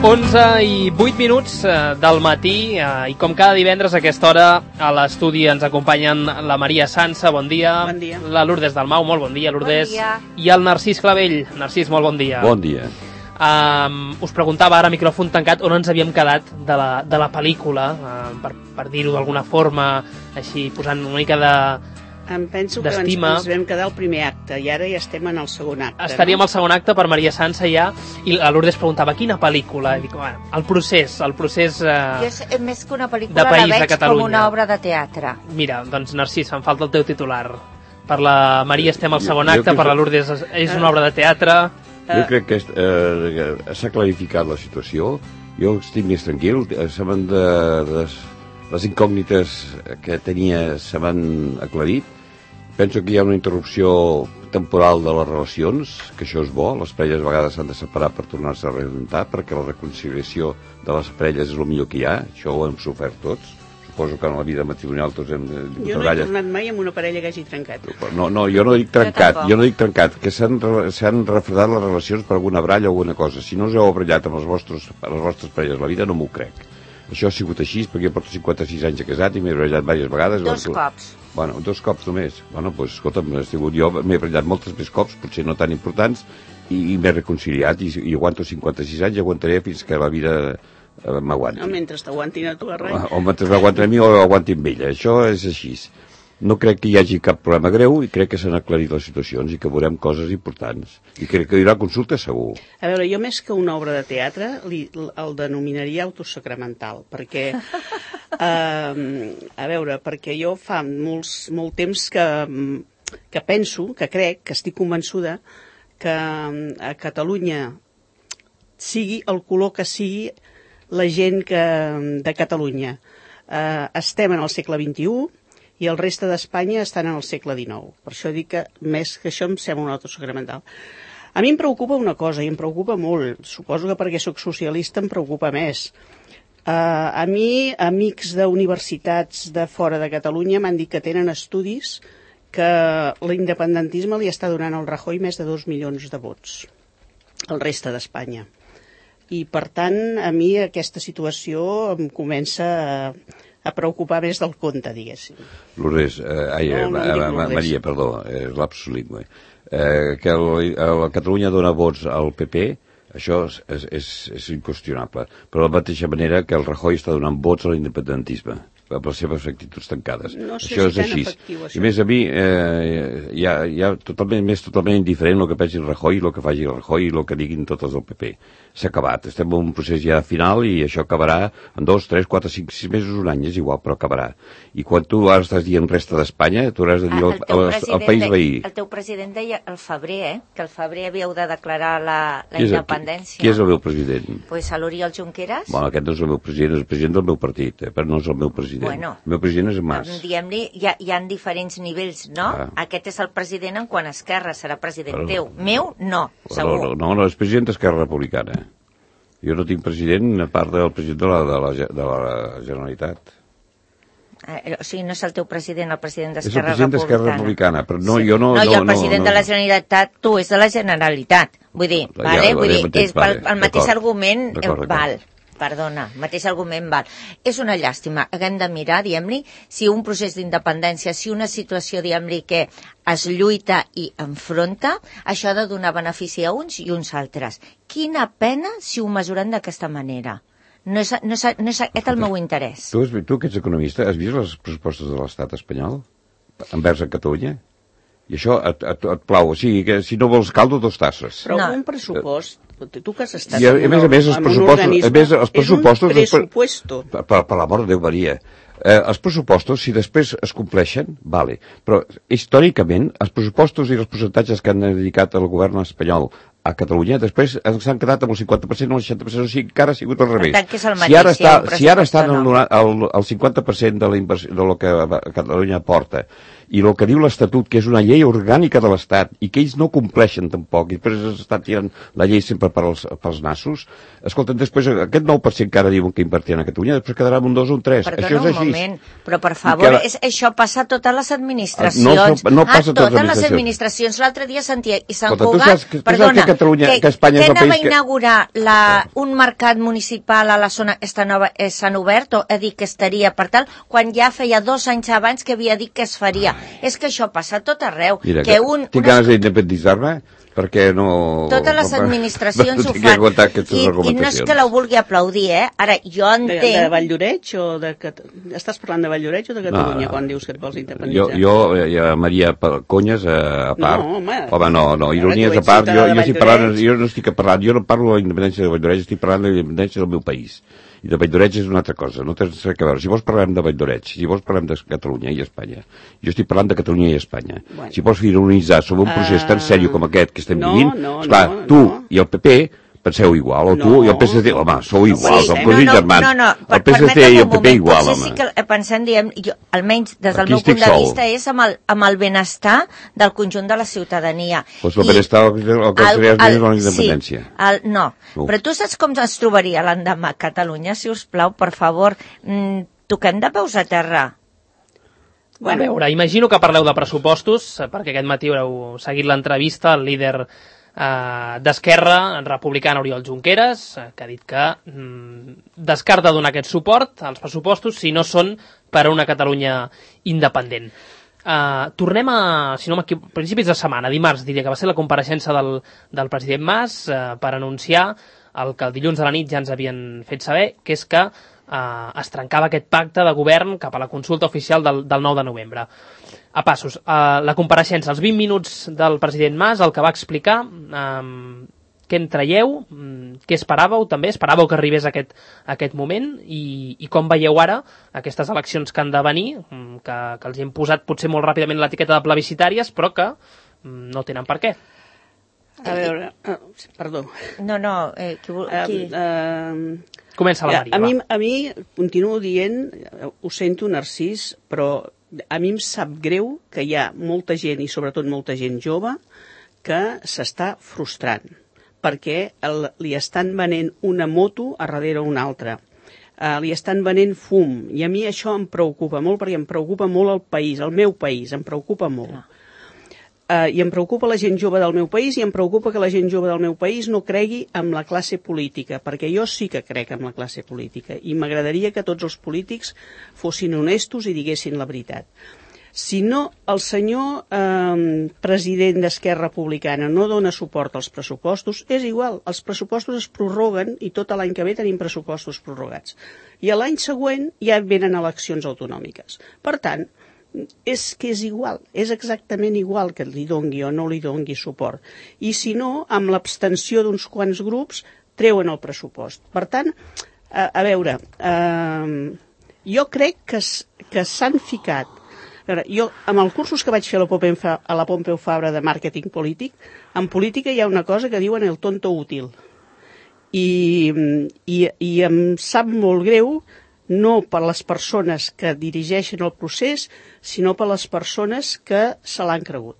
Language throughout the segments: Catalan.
11:08 del matí i com cada divendres a aquesta hora a l'estudi ens acompanyen la Maria Sansa, bon dia. Bon dia. La Lourdes Dalmau, molt bon dia, Lourdes. Bon dia. I el Narcís Clavell. Narcís, molt bon dia. Bon dia. Us preguntava ara, micròfon tancat, on ens havíem quedat de la pel·lícula, per dir-ho d'alguna forma, així posant una mica Em penso que d'estima. ens vam quedar al primer acte i ara ja estem en el segon acte. Estaríem al segon acte per Maria Sansa ja, i la Lourdes preguntava quina pel·lícula. I dic, bueno, el procés Jo més que una pel·lícula de país, la de veig Catalunya. com una obra de teatre. Mira, doncs Narcís, em falta el teu titular. Per la Maria estem al segon Jo acte, crec per la que- Lourdes és una obra de teatre. Jo crec que s'ha clarificat la situació. Jo estic més tranquil. Les incògnites que tenia se m'han aclarit. Penso que hi ha una interrupció temporal de les relacions, que això és bo. Les parelles a vegades s'han de separar per tornar-se a rejuntar, perquè la reconciliació de les parelles és el millor que hi ha. Això ho hem sofert tots. Suposo que en la vida matrimonial tots hem de... Jo no he tornat mai amb una parella que hagi trencat. No, jo no dic trencat, tampoc. jo no dic trencat, que s'han refredat les relacions per alguna bralla o alguna cosa. Si no us heu barallat amb les vostres parelles la vida, no m'ho crec. Això ha sigut així, perquè jo porto 56 anys de casat i m'he barallat diverses vegades. 2 cops. Bueno, 2 cops només. Bueno, doncs, escolta'm, jo m'he barallat moltes més cops, potser no tan importants, i m'he reconciliat, i aguanto 56 anys i aguantaré fins que la vida m'aguanti. No, mentre t'aguantin a tu a res. O mentre m'aguanti a mi o aguanti amb ella. Això és així. No crec que hi hagi cap problema greu i crec que s'han aclarit les situacions i que veurem coses importants. I crec que hi haurà consulta segur. A veure, jo més que una obra de teatre el denominaria autosacramental, perquè perquè jo fa molt temps que penso, que crec, que estic convençuda que a Catalunya sigui el color que sigui la gent de Catalunya. Estem en el segle XXI i el reste d'Espanya estan en el segle XIX. Per això dic que més que això em sembla un autosacramental. A mi em preocupa una cosa, i em preocupa molt. Suposo que perquè sóc socialista em preocupa més. A mi, amics d'universitats de fora de Catalunya m'han dit que tenen estudis que l'independentisme li està donant al Rajoy més de 2 milions de vots al reste d'Espanya. I, per tant, a mi aquesta situació em comença a preocupar més del compte, diguéssim. Lourdes, Maria, perdó, lapsus lingüe. Que la Catalunya dona vots al PP, això és inqüestionable. Però de la mateixa manera que el Rajoy està donant vots a l'independentisme, per les seves actituds tancades. No sé això si és així. efectiu, això. I més a mi, hi ha totalment indiferent el que pensi el Rajoy, el que faci el Rajoy i el que diguin tots els del PP. S'ha acabat. Estem en un procés ja final i això acabarà en 2, 3, 4, 5, 6 mesos, un any, és igual, però acabarà. I quan tu ara estàs dient resta d'Espanya, tu hauràs de dir al país veí. El teu president deia al febrer, que al febrer havíeu de declarar la independència. Qui és el meu president? Pues a l'Oriol Junqueras. Bueno, aquest no és el meu president, és el president del meu partit, però no és el meu president. Bueno, el meu president és Mas. Diguem-li, hi ha diferents nivells, no? Aquest és el president en quant a Esquerra, serà president teu. Meu, no, segur. No, és president d'Esquerra Republicana. Jo no tinc president a part del president de la Generalitat. O sigui, no és el teu president, el president És el d'Esquerra president d'Esquerra Republicana, però no, sí. jo no... No, i el president de la Generalitat, tu, és de la Generalitat. Vull dir, és el mateix argument, val. Perdona, mateix argument val. És una llàstima. Hem de mirar, diguem-li, si un procés d'independència, si una situació, diguem-li, que es lluita i enfronta, això ha de donar benefici a uns i uns altres. Quina pena si ho mesuren d'aquesta manera. No és aquest el meu interès. Tu que ets economista, has vist les propostes de l'estat espanyol envers a Catalunya? I això et plau, o sigui, que si no vols caldo, 2 tasses. Però un pressupost, tu que has estat en un organisme, és un pressuposto. Per l'amor de Déu, Maria. Els pressupostos, si després es compleixen, vale, però històricament els pressupostos i els percentatges que han dedicat el govern espanyol a Catalunya, després s'han quedat amb el 50% o el 60%, o sigui, encara ha sigut al revés. Per tant, que és el mateix, si ara estan el 50% de la inversió, de lo que Catalunya aporta, i el que diu l'Estatut, que és una llei orgànica de l'Estat, i que ells no compleixen tampoc, i després estan tirant la llei sempre pels nassos, escolten, després aquest 9% que ara diuen que invertien a Catalunya, després quedarà un 2 o un 3. Perdona això és així. Un moment, però per favor, això passa a totes les administracions. No passa a totes les administracions. L'altre dia sentia, i Sant Cugat, perdona, Catalunya, que Espanya és el país que... Què inaugurar un mercat municipal a la zona nova Sant Obert, o ha dit que estaria per tal, quan ja feia 2 anys abans que havia dit que es faria. És que això passa tot arreu. Mira, tinc ganes d'independitzar-me, perquè no... Totes les administracions ho fan. I no és que la vulgui aplaudir, Ara, jo entenc... De Valldoreix o de... Estàs parlant de Valldoreix o de Catalunya quan dius que et vols independitzar? Jo Maria, conyes a part... Home, no, ironies a part, jo no estic parlant, jo no parlo de la independència de Valldoreix, estic parlant de la independència del meu país. I de Valldoreix és una altra cosa, no té res a veure. Si vols parlem de Valldoreix, si vols parlem de Catalunya i Espanya. Jo estic parlant de Catalunya i Espanya. Bueno. Si vols ironitzar sobre un procés tan sèrio com aquest que estem vivint, esclar, tu i el PP penseu igual, o tu i el PSC, home, sou iguals, el cosins germans. El PSC i el PP igual, home. Sí que pensem, diem, almenys des del meu punt de vista, és amb el benestar del conjunt de la ciutadania. Doncs el benestar el que seria la independència. No, però tu saps com es trobaria l'endemà a Catalunya, si us plau, per favor, toquem de peus a terra. A veure, imagino que parleu de pressupostos, perquè aquest matí haureu seguit l'entrevista al líder d'Esquerra Republicana Oriol Junqueras, que ha dit que descarta donar aquest suport als pressupostos si no són per a una Catalunya independent. Tornem a, si no m'equivoco, principis de setmana, dimarts diria que va ser la compareixença del president Mas per anunciar el que el dilluns a la nit ja ens havien fet saber, que és que es trencava aquest pacte de govern cap a la consulta oficial del 9 de novembre. A passos, la compareixença, els 20 minuts del president Mas, el que va explicar, què en traieu, què esperàveu també, esperàveu que arribés aquest moment i com veieu ara aquestes eleccions que han de venir, que els hi hem posat potser molt ràpidament l'etiqueta de plebiscitàries, però que no tenen per què. A veure, perdó. No, qui... Comença la Maria. A mi continuo dient, ho sento, Narcís, però a mi em sap greu que hi ha molta gent, i sobretot molta gent jove, que s'està frustrant, perquè li estan venent una moto a darrere una altra. Li estan venent fum, i a mi això em preocupa molt, perquè em preocupa molt el país, el meu país, em preocupa molt. I em preocupa la gent jove del meu país i em preocupa que la gent jove del meu país no cregui en la classe política, perquè jo sí que crec en la classe política i m'agradaria que tots els polítics fossin honestos i diguessin la veritat. Si no, el senyor president d'Esquerra Republicana no dona suport als pressupostos, és igual, els pressupostos es prorroguen i tot l'any que ve tenim pressupostos prorrogats. I l'any següent ja venen eleccions autonòmiques. Per tant, és que és igual, és exactament igual que li dongui o no li dongui suport. I si no, amb l'abstenció d'uns quants grups, treuen el pressupost. Per tant, a veure, jo crec que s'han ficat... A veure, jo, amb els cursos que vaig fer a la Pompeu Fabra de màrqueting polític, en política hi ha una cosa que diuen el tonto útil. I em sap molt greu no per les persones que dirigeixen el procés, sinó per les persones que se l'han cregut.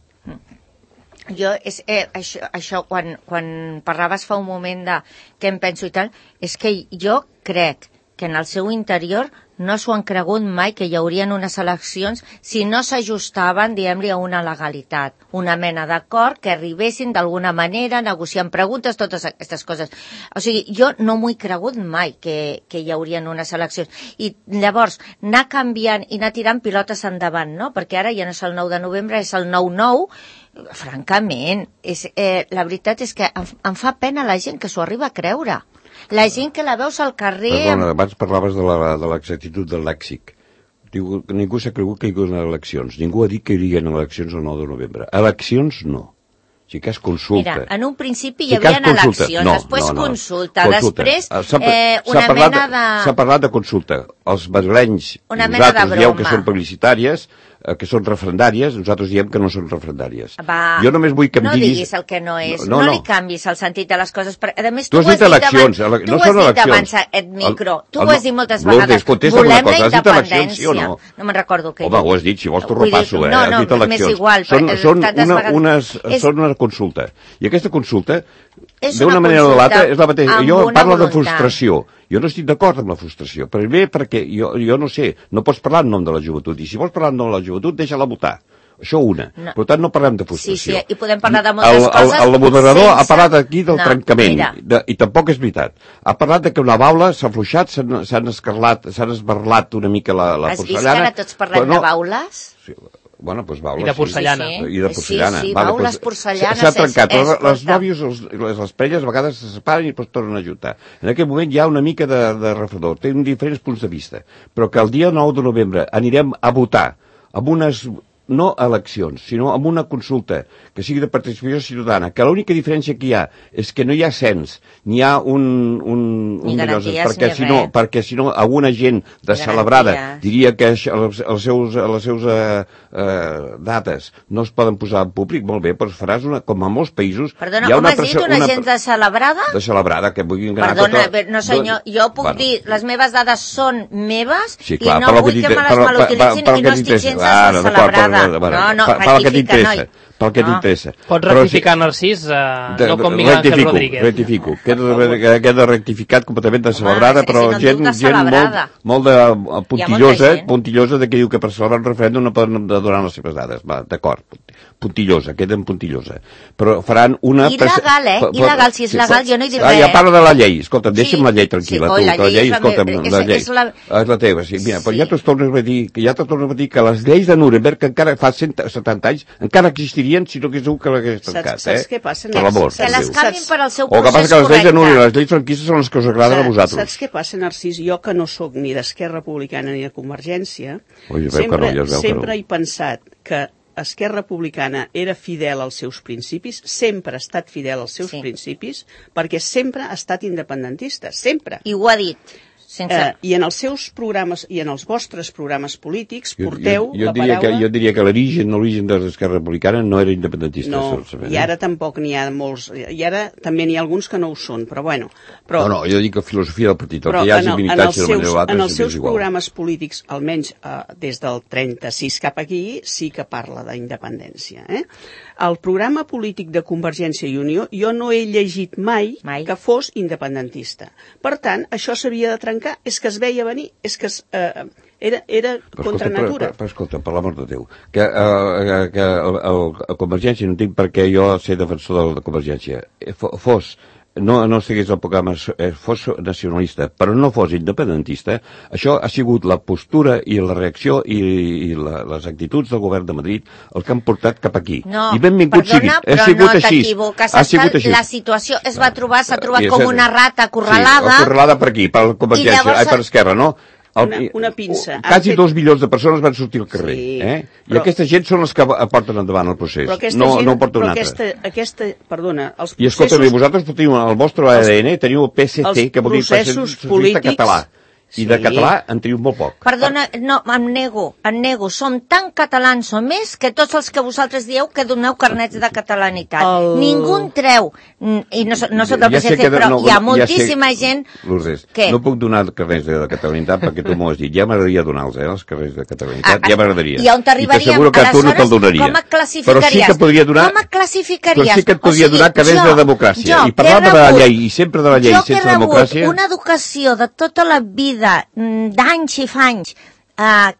Jo, això quan parlaves fa un moment de què em penso i tal, és que jo crec que en el seu interior no s'ho han cregut mai que hi haurien unes eleccions si no s'ajustaven, diguem-li, a una legalitat, una mena d'acord que arribessin d'alguna manera, negociant preguntes, totes aquestes coses. O sigui, jo no m'ho he cregut mai que hi haurien unes eleccions. I llavors, anar canviant i anar tirant pilotes endavant, no? Perquè ara ja no és el 9 de novembre, és el 9-9, francament, la veritat és que em fa pena la gent que s'ho arriba a creure. La gent que la veus al carrer... Perdona, abans parlaves de l'exactitud del lèxic. Ningú s'ha cregut que hi hagués eleccions. Ningú ha dit que hi haurien eleccions el 9 de novembre. Eleccions, no. Si cas consulta. Mira, en un principi hi havia eleccions, després consulta, després una mena de... S'ha parlat de consulta. Els madrilenys, nosaltres dieu que són publicitàries, que són referendàries, nosaltres diem que no són referendàries. Jo només vull que em diguis... No diguis el que no és, no li canvis el sentit de les coses. A més, tu has dit eleccions, no són eleccions. Tu ho has dit abans, et micro, tu ho has dit moltes vegades. Volem la independència. No me'n recordo què he dit. Home, ho has dit, si vols t'ho repasso, has dit eleccions. Són una consulta. I aquesta consulta, d'una manera o de l'altra, és la mateixa. Jo parlo de frustració. Jo no estic d'acord amb la frustració. Primer perquè jo no sé, no pots parlar en nom de la joventut. I si vols parlar en nom de la joventut, deixa-la votar. Això una. Per tant, no parlem de frustració. Sí, i podem parlar de moltes coses. El moderador ha parlat aquí del trencament, i tampoc és veritat. Ha parlat que una baula s'ha afluixat, s'han esbarlat una mica la porcellana. Has vist que ara tots parlem de baules? Sí. Bueno, doncs baules. I de porcellana. I de porcellana. Sí, baules, porcellana. S'ha trencat. Les nòvies, les parelles, a vegades se separen i després tornen a ajuntar. En aquest moment hi ha una mica de refredor. Té diferents punts de vista. Però que el dia 9 de novembre anirem a votar amb unes... no eleccions, sinó amb una consulta que sigui de participació ciutadana, que l'única diferència que hi ha és que no hi ha cens, ni hi ha ni garanties, perquè si no alguna gent descelebrada diria que les seus dates no es poden posar en públic, molt bé, però faràs com a molts països... Perdona, com has dit, una gent descelebrada? Descelebrada, que vulguin anar... Perdona, no senyor, jo puc dir, les meves dades són meves i no vull que me les malutilitzin i no estic gens descelebrada. No, rectifica, pel que t'interessa. Pots rectificar, Narcís, no com Miguel Ángel Rodríguez. Rectifico. Queda rectificat completament descelebrada, però gent molt puntillosa de que diu que per celebrar un referèndum no poden donar les seves dades. D'acord, puntillosa, queda en puntillosa. Però faran una... Il·legal, il·legal, si és legal, jo no hi diré res. Ja parla de la llei, escolta'm, deixa'm la llei tranquil·la. La llei, escolta'm, la llei és la teva. Mira, ja t'ho torno a dir que les lleis de Nuremberg, que encara fa 170 anys, encara existirien si no hagués que l'hagués tancat. Saps què passa? Que les canvin per al seu procés correcte. O que passa que les lleis de Nuremberg i les lleis franquistes són les que us agraden a vosaltres. Saps què passa, Narcís? Jo, que no sóc ni d'Esquerra Republicana ni de Convergència, sempre he pensat que Esquerra Republicana era fidel als seus principis, sempre ha estat fidel als seus principis, perquè sempre ha estat independentista, sempre. I ho ha dit. I en els seus programes i en els vostres programes polítics porteu la paraula... Jo diria que l'origen de l'Esquerra Republicana no era independentista. No, i ara tampoc n'hi ha molts... I ara també n'hi ha alguns que no ho són, però bueno... No, jo dic que filosofia del partit, el que hi hagi limitatge de manera o altra... En els seus programes polítics, almenys des del 36 cap aquí, sí que parla d'independència. El programa polític de Convergència i Unió jo no he llegit mai que fos independentista. Per tant, això s'havia de trencar, és que es veia venir, és que era contra natura. Però escolta, per l'amor de Déu, que a Convergència, no entenc perquè jo ser defensor de Convergència, no estigués al programa, fos nacionalista, però no fos independentista, això ha sigut la postura i la reacció i les actituds del govern de Madrid el que han portat cap aquí. No, I benvingut sigui. Però no t'equivoques. La situació s'ha trobat com una rata acorralada. Sí, acorralada per aquí, per Convergència, per Esquerra, no? Una pinça. Quasi 2 milions de persones van sortir al carrer. I aquesta gent són els que porten endavant el procés. No porta un altre. Perdona, els processos... I escolta, vosaltres teniu el vostre ADN, teniu el PSC, que vol dir Socialista Català. I de català en teniu molt poc. Perdona, no, em nego. Som tan catalans o més que tots els que vosaltres dieu que doneu carnets de catalanitat. Ningú en treu. I no soc del PSC, però hi ha moltíssima gent... Lourdes, no puc donar carnets de catalanitat perquè tu m'ho has dit. Ja m'agradaria donar-los, els carnets de catalanitat. Ja m'agradaria. I on t'arribaríem? Aleshores, com et classificaries? Però sí que podria donar... Com et classificaries? Però sí que et podria donar carnets de democràcia. I parlant de la llei, i sempre de la llei, sense democràcia... Jo que he rebut una educació de tota la vida d'anys i fanys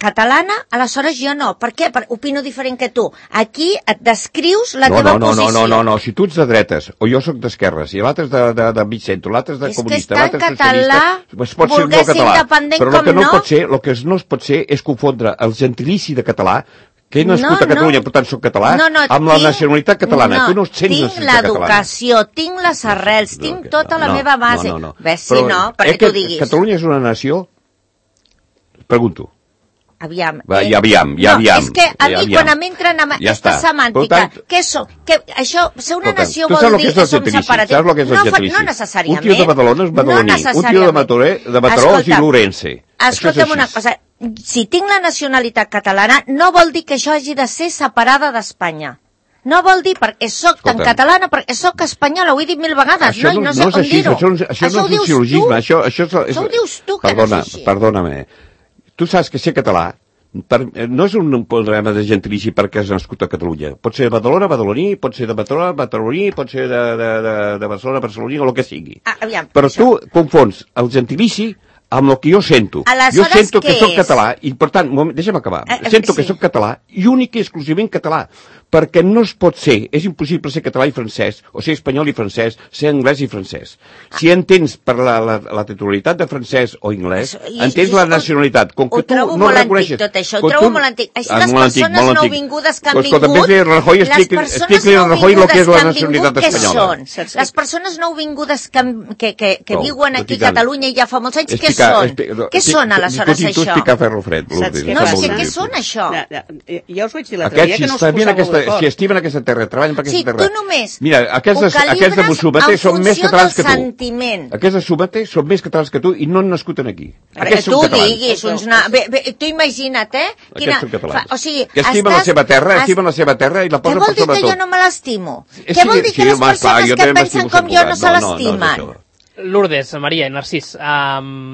catalana, aleshores jo no. Per què? Opino diferent que tu. Aquí et descrius la teva posició. No. Si tu ets de dretes, o jo sóc d'esquerres, i l'altre és de mig centre, l'altre és de comunista, l'altre és socialista... És que és tan català, volguer ser independent com no... Però el que no es pot ser és confondre el gentilici de català, que he nascut a Catalunya, per tant soc català, amb la nacionalitat catalana. Tu no ets tinc l'educació, tinc les arrels, tinc tota la meva base. Ves, si no, perquè tu diguis. Catalunya és una nació? Pregunto. Aviam. És que a mi quan m'entren amb aquesta semàntica, això, ser una nació vol dir que som separatistes. Saps el que és el gentilici? No necessàriament. Un tio de Badalona és badaloní, un tio de Mataró és ilurense. Escolta'm una cosa, si tinc la nacionalitat catalana, no vol dir que això hagi de ser separada d'Espanya. No vol dir perquè soc tan catalana, perquè soc espanyola, ho he dit 1000 vegades, no sé com dir-ho. Això no és un silogisme, això ho dius tu, que no és així. Perdóname, tu saps que ser català no és un problema de gentilici perquè has nascut a Catalunya. Pot ser de Badalona, badaloní, pot ser de Mataró, mataroní, pot ser de Barcelona, barceloní, o el que sigui. Però tu confons el gentilici amb el que jo sento. Jo sento que soc català i, per tant, deixa'm acabar. Sento que soc català i únic i exclusivament català, perquè no es pot ser, és impossible ser català i francès, o ser espanyol i francès, ser anglès i francès. Si entens per la titularitat de francès o anglès, entens la nacionalitat. Com que tu no reconeixes... Tot això, ho trobo molt antic. Així les persones nouvingudes que han vingut... Explica-li a Rajoy el que és la nacionalitat espanyola. Les persones nouvingudes que viuen aquí a Catalunya i ja fa molts anys, què són? Què són, aleshores, això? Tu explicar ferro fred, Lourdes. No sé què són, això. Ja us vaig dir l'altre dia que no us posàveu d'acord. Si estimen aquesta terra, treballen per aquesta terra. Sí, tu només Aquests de Mussomate són més catalans que tu. Sentiment. Aquests de Mussomate són més catalans que tu i no han nascut aquí. Tu diguis, tu imagina't, Aquests són catalans. O sigui, que estimen la seva terra i la posen per sobre tot. Què vol dir que jo no me l'estimo? Què vol dir que les persones que pensen com jo no se l'estimen? Lourdes, Maria i Narcís,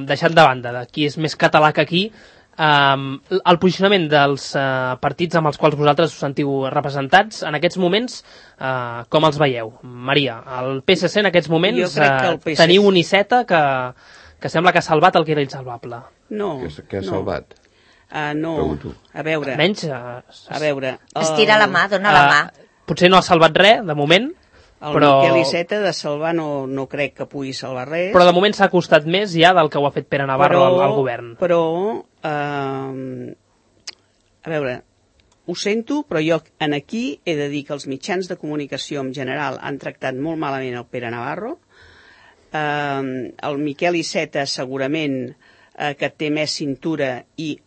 deixant de banda de qui és més català que aquí, el posicionament dels partits amb els quals vosaltres us sentiu representats en aquests moments, com els veieu? Maria, el PSC en aquests moments teniu un Iceta que sembla que ha salvat el que era insalvable. No. Què ha salvat? No, a veure... Almenys... A veure... Estira la mà, dona la mà. Potser no ha salvat res, de moment, però... Miquel Iceta de salvar no crec que pugui salvar res. Però de moment s'ha costat més ja del que ho ha fet Pere Navarro al govern. Però, a veure, ho sento, però jo aquí he de dir que els mitjans de comunicació en general han tractat molt malament el Pere Navarro. El Miquel Iceta segurament que té més cintura i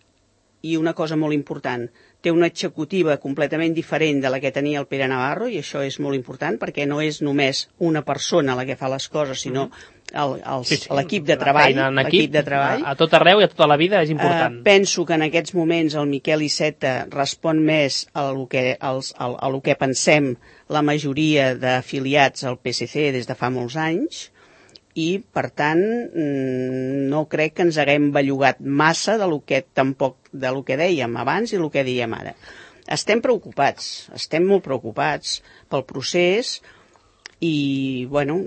una cosa molt important, té una executiva completament diferent de la que tenia el Pere Navarro, i això és molt important perquè no és només una persona la que fa les coses, sinó l'equip de treball. A tot arreu i a tota la vida és important. Penso que en aquests moments el Miquel Iceta respon més a lo que pensem la majoria d'afiliats al PSC des de fa molts anys, i, per tant, no crec que ens haguem bellugat massa de lo que dèiem abans i el que dèiem ara. Estem molt preocupats pel procés i, bueno,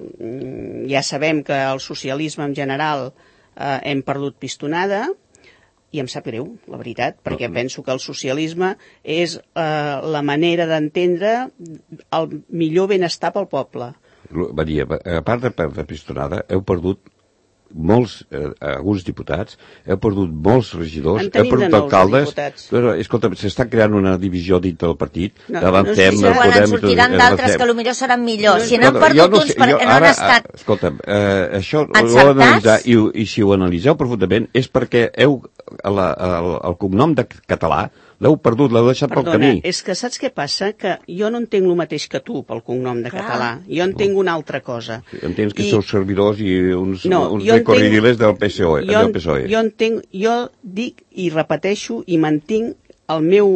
ja sabem que el socialisme en general hem perdut pistonada i em sap greu, la veritat, perquè penso que el socialisme és la manera d'entendre el millor benestar pel poble. Maria, a part de perdre pistonada, heu perdut alguns diputats, heu perdut molts regidors, heu perdut alcaldes. Però, escolta, s'està creant una divisió dintre del partit. Avancem, en sortiran d'altres que potser seran millors. Si n'han perdut uns perquè no han estat encertats. Escolta'm, això ho heu d'analitzar, i si ho analitzeu profundament és perquè el cognom de català l'heu perdut, l'heu deixat pel camí. És que saps què passa? Que jo no entenc el mateix que tu pel cognom de català. Jo entenc una altra cosa. Entens que sou servidors i uns recorridiles del PSOE. Jo dic i repeteixo i mantinc el meu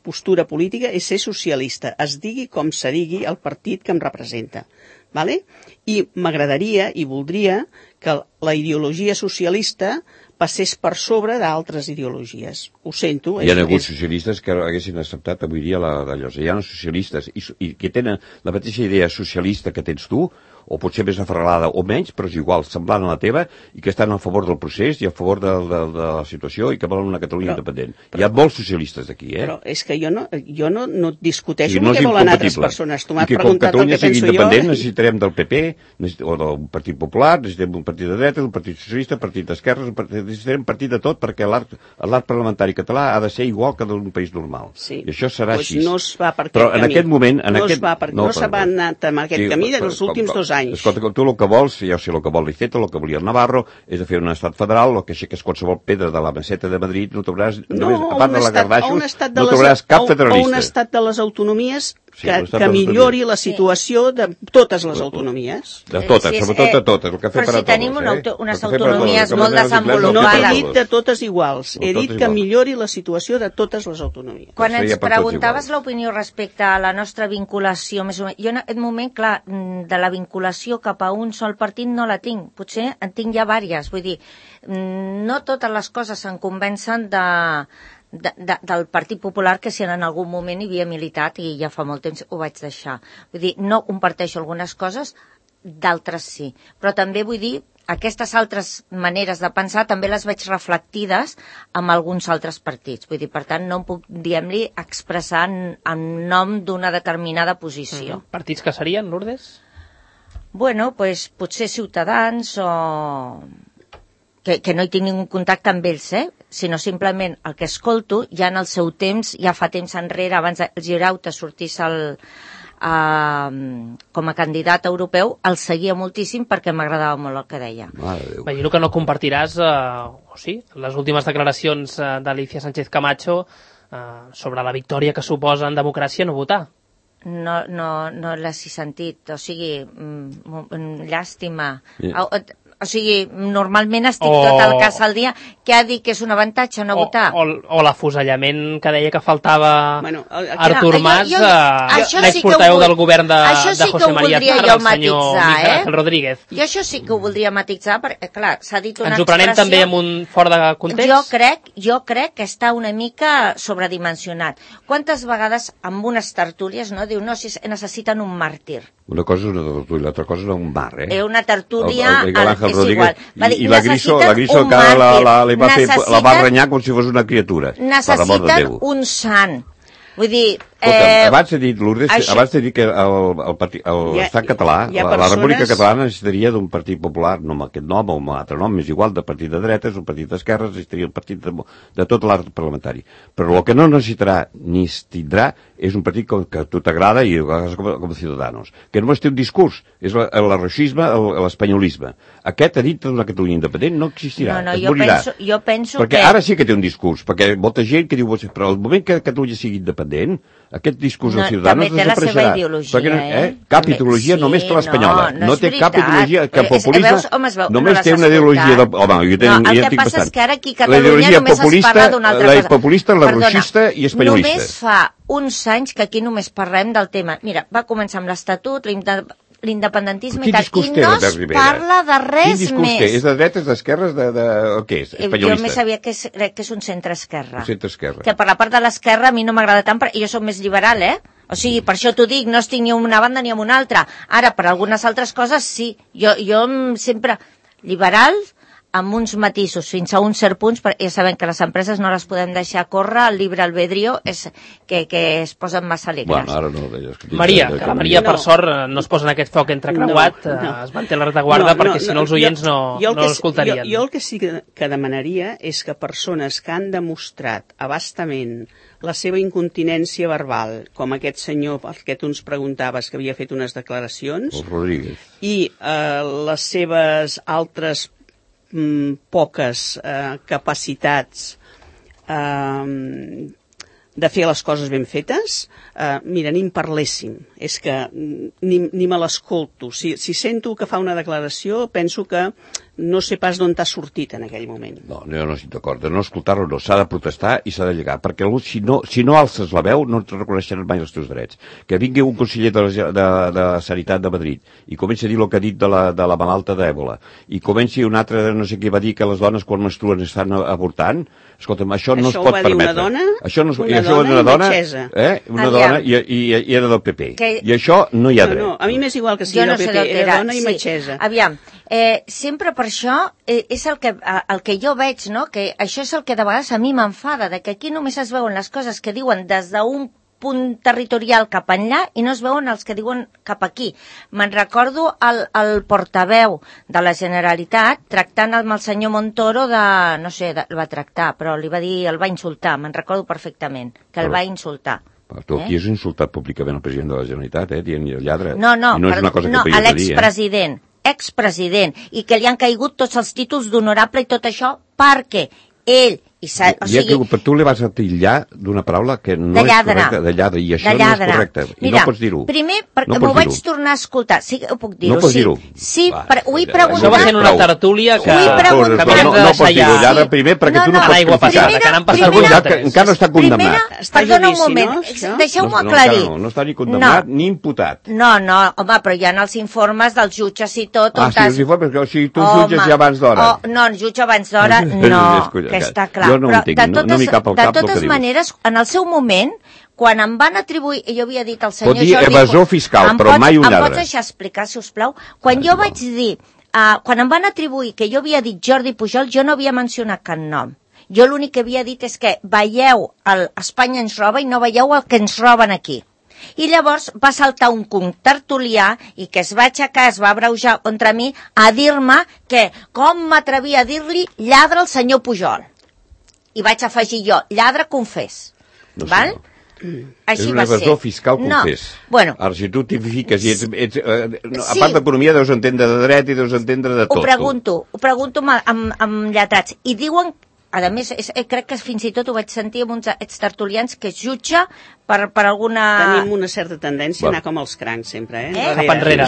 postura política és ser socialista, es digui com se digui el partit que em representa. Vale? I m'agradaria i voldria que la ideologia socialista passés per sobre d'altres ideologies. Ho sento. Hi ha hagut socialistes que haguessin acceptat avui dia d'allò. Hi ha socialistes i que tenen la mateixa idea socialista que tens tu, o potser més aferralada o menys, però és igual, semblant a la teva, i que estan a favor del procés i a favor de la situació i que volen una Catalunya independent. Hi ha molts socialistes aquí, Però és que jo no discuteixo amb què volen altres persones. Tu m'has preguntat el que penso jo. Com Catalunya sigui independent, necessitarem del PP, o del Partit Popular, necessitarem un partit de dreta, un partit socialista, un partit d'esquerres, necessitarem un partit de tot, perquè l'art parlamentari català ha de ser igual que d'un país normal. I això serà així. No es va per aquest camí. Però en aquest moment... No s'ha anat en aquest camí dels últims 2 anys. Escolta, tu el que vols, ja sé el que vol l'Iceta, el que volia el Navarro, és de fer un estat federal, el que aixeques qualsevol pedra de la meseta de Madrid, no trobaràs, a part de la Garbaixos, no trobaràs cap federalista. O un estat de les autonomies que millori la situació de totes les autonomies. De totes, sobretot de totes. Però si tenim unes autonomies molt desenvolupades. No he dit de totes iguals, he dit que millori la situació de totes les autonomies. Quan ens preguntaves l'opinió respecte a la nostra vinculació, més o menys, jo en aquest moment, clar, de la vinculació cap a un sol partit no la tinc, potser en tinc ja vàries, vull dir, no totes les coses se'n convencen del Partit Popular, que si en algun moment hi havia militat i ja fa molt temps ho vaig deixar. Vull dir, no comparteixo algunes coses, d'altres sí. Però també vull dir, aquestes altres maneres de pensar també les veig reflectides amb alguns altres partits. Vull dir, per tant, no em puc, diguem-li, expressar en nom d'una determinada posició. Partits que serien, Lourdes? Bueno, pues, potser Ciutadans o... Que no hi tinc ningú contacte amb ells, sinó simplement el que escolto, ja en el seu temps, ja fa temps enrere, abans el Girauta sortís com a candidat europeu, el seguia moltíssim perquè m'agradava molt el que deia. Imagino que no compartiràs, o sí, les últimes declaracions d'Alicia Sánchez Camacho sobre la victòria que suposa en democràcia no votar. No l'has sentit, o sigui, llàstima. O sigui, normalment estic tot el cas al dia que ha dit que és un avantatge no votar. O l'afusellament que deia que faltava Artur Mas, l'exportaveu del govern de José María Aznar, el senyor Miguel Ángel Rodríguez. Jo això sí que ho voldria matitzar, perquè, clar, s'ha dit una expressió... Ens ho prenem també amb un fora de context? Jo crec que està una mica sobredimensionat. Quantes vegades amb unes tertúlies, no? Diu, no, si necessiten un màrtir. Una cosa és una tertúlia, l'altra cosa és un bar, Una tertúlia és igual. I la Griso la va renyar com si fos una criatura. Necessiten un sant. Vull dir... Abans he dit, Lourdes, abans he dit que l'estat català, la República Catalana necessitaria d'un partit popular, no amb aquest nom o amb un altre nom, és igual, de partit de dretes, un partit d'esquerres, necessitaria un partit de tot l'art parlamentari. Però el que no necessitarà ni es tindrà és un partit que a tu t'agrada i com a Ciudadanos, que només té un discurs, és l'arroixisme, l'espanyolisme. Aquest a dintre d'una Catalunya independent no existirà, es morirà. Jo penso perquè ara sí que té un discurs, perquè molta gent que diu, però al moment que Catalunya sigui independent, aquest discurs dels Ciudadanos desapareixerà. Cap ideologia, només que l'espanyola. No té cap ideologia, que el populisme només té una ideologia de... Home, jo el que passa és que ara aquí a Catalunya només es parla d'una altra cosa. La populista, la roixista i espanyolista. Només fa uns anys que aquí només parlem del tema. Mira, va començar amb l'Estatut, l'independentisme i tal, i no es parla de res més. Quin discurs té? És de dretes, d'esquerres, què és? Espanyolista? Jo més sabia que és un centre-esquerra. Un centre-esquerra. Que per la part de l'esquerra a mi no m'agrada tant, perquè jo soc més liberal, O sigui, per això t'ho dic, no estic ni a una banda ni a una altra. Ara, per algunes altres coses, sí. Jo sempre liberal, amb uns matisos, fins a un cert punt, ja sabem que les empreses no les podem deixar córrer, el llibre albedrío és que es posen massa alegres. Bueno, ara no, Maria, que la Maria, per sort, no es posa en aquest foc entrecreuat, es manté la retaguarda, perquè si no els oients no l'escoltarien. Jo el que sí que demanaria és que persones que han demostrat abastament la seva incontinència verbal, com aquest senyor, el que tu ens preguntaves, que havia fet unes declaracions, el Rodríguez, i les seves altres poques capacitats de fer les coses ben fetes, mira, ni en parléssim. És que ni me l'escolto. Si sento que fa una declaració, penso que no sé pas d'on t'ha sortit en aquell moment. No, jo no estic d'acord. De no escoltar-ho no. S'ha de protestar i s'ha de llegar. Perquè si no alces la veu, no et reconeixeran mai els teus drets. Que vingui un conseller de Sanitat de Madrid i comenci a dir el que ha dit de la malalta d'Èbola i comenci un altre, no sé què va dir, que les dones quan menstruen estan avortant. Escolta'm, això no es pot permetre. Això ho va dir una dona metgessa. Una dona i era del PP. I això no hi ha dret. No, a mi m'és igual que sigui del PP, era dona i metgessa. Aviam, sempre per això és el que jo veig, no? Que això és el que de vegades a mi m'enfada, que aquí només es veuen les coses que diuen des d'un punt territorial cap enllà i no es veuen els que diuen cap aquí. Me'n recordo el portaveu de la Generalitat tractant amb el senyor Montoro no sé, el va tractar, però li va dir, el va insultar, me'n recordo perfectament, que el va insultar. Tu aquí has insultat públicament el president de la Generalitat, dient lladre. No, a l'expresident, i que li han caigut tots els títols d'honorable i tot això perquè ell per tu li vas a titllar d'una paraula que no és correcta, de lladre, i això no és correcte, i no pots dir-ho. Primer, perquè m'ho vaig tornar a escoltar, sí que ho puc dir-ho, no pots dir-ho. Sí, ho he preguntat... Això va ser una tertúlia que no pots dir-ho, lladre, primer, perquè tu no pots criticar. Encara no està condemnat. Perdona un moment, deixeu-m'ho aclarir. No està ni condemnat ni imputat. No, home, però hi ha els informes dels jutges i tot... Sí, els informes, o sigui, tu jutges ja abans d'hora. No, jutge abans d'hora, no, que està clar. Jo no ho entenc, no m'hi cap al cap el que dius. De totes maneres, en el seu moment, quan em van atribuir, jo havia dit al senyor Jordi... Pot dir evasor fiscal, però mai un lladre. Em pots deixar explicar, si us plau? Quan jo vaig dir quan em van atribuir que jo havia dit Jordi Pujol, jo no havia mencionat cap nom. Jo l'únic que havia dit és que veieu Espanya ens roba i no veieu el que ens roben aquí. I llavors va saltar un contertulià i que es va aixecar, es va abreujar contra mi a dir-me que com m'atrevia a dir-li lladre al senyor Pujol. I vaig afegir jo, lladre confés. No sé, val? no. Així és un va ser. evasor fiscal confés. No. Bueno, ara, si tu t'hi fiques i a part d'economia deus entendre de dret i deus entendre de tot. Ho pregunto amb lletrats. I diuen, a més, crec que fins i tot ho vaig sentir amb uns extertulians que es jutja per alguna... Tenim una certa tendència a anar com els crancs sempre, Cap enrere.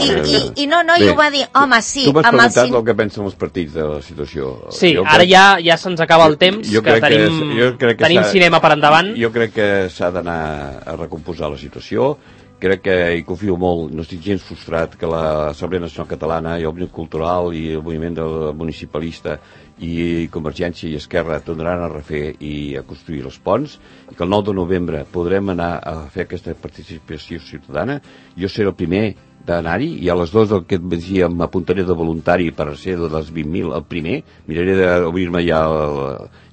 I no, i ho va dir, home, sí. Tu m'has preguntat el que pensen els partits de la situació. Sí, ara ja se'ns acaba el temps, que tenim cinema per endavant. Jo crec que s'ha d'anar a recomposar la situació. Crec que hi confio molt, no estic gens frustrat que l'Assemblea Nacional Catalana i el Òmnium Cultural i el moviment municipalista i Convergència i Esquerra tornaran a refer i a construir els ponts, i que el 9 de novembre podrem anar a fer aquesta participació ciutadana. Jo seré el primer d'anar-hi, i a les 2 del que et dia m'apuntaré de voluntari per ser de les 20.000 el primer, miraré d'obrir-me ja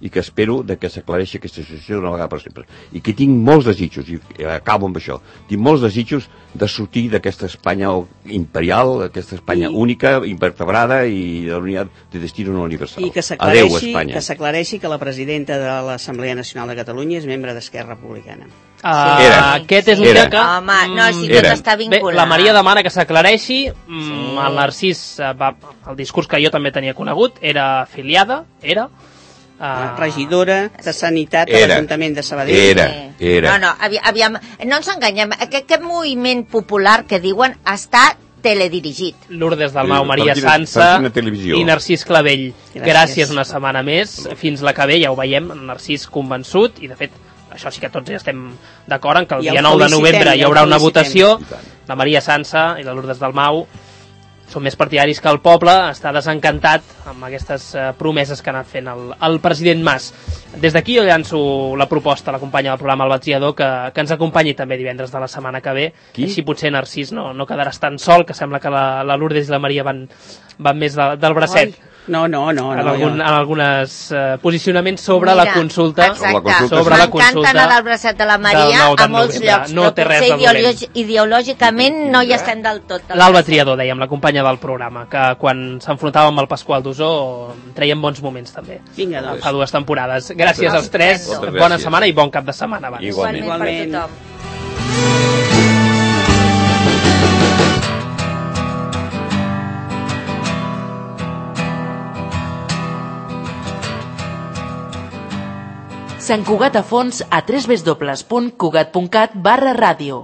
i que espero que s'aclareixi aquesta situació d'una vegada per sempre. I que tinc molts desitjos, i acabo amb això, tinc molts desitjos de sortir d'aquesta Espanya imperial, aquesta Espanya única, invertebrada i de l'unitat de destino no universal. I que s'aclareixi que la presidenta de l'Assemblea Nacional de Catalunya és membre d'Esquerra Republicana. Aquest és un dia que... Home, no, si tot està vinculat. Bé, la Maria demana que s'aclareixi. El Narcís, el discurs que jo també tenia conegut, era afiliada, regidora de Sanitat a l'Ajuntament de Sabadell. Era. No, aviam, no ens enganyem. Aquest moviment popular que diuen està teledirigit. Lourdes Dalmau, Maria Sansa i Narcís Clavell. Gràcies una setmana més. Fins la que ve, ja ho veiem, el Narcís convençut, i de fet això sí que tots ja estem d'acord en que el dia 9 de novembre hi haurà una votació. La Maria Sansa i la Lourdes Dalmau són més partidaris que el poble, està desencantat amb aquestes promeses que ha anat fent el president Mas. Des d'aquí jo llanço la proposta a la companya del programa El Batriador que ens acompanyi també divendres de la setmana que ve. Així potser Narcís no quedaràs tan sol, que sembla que la Lourdes i la Maria van més del bracet. No. En alguns posicionaments sobre la consulta. Exacte. M'encanta anar del bracet de la Maria a molts llocs, però potser ideològicament no hi estem del tot. L'Alba Triador, dèiem, la companya del programa, que quan s'enfrontava amb el Pasqual d'Osó treien bons moments també. Vinga, doncs. Fa 2 temporades. Gràcies als 3, bona setmana i bon cap de setmana. Igualment per tothom. Sant Cugat a fons a www.cugat.cat/ràdio.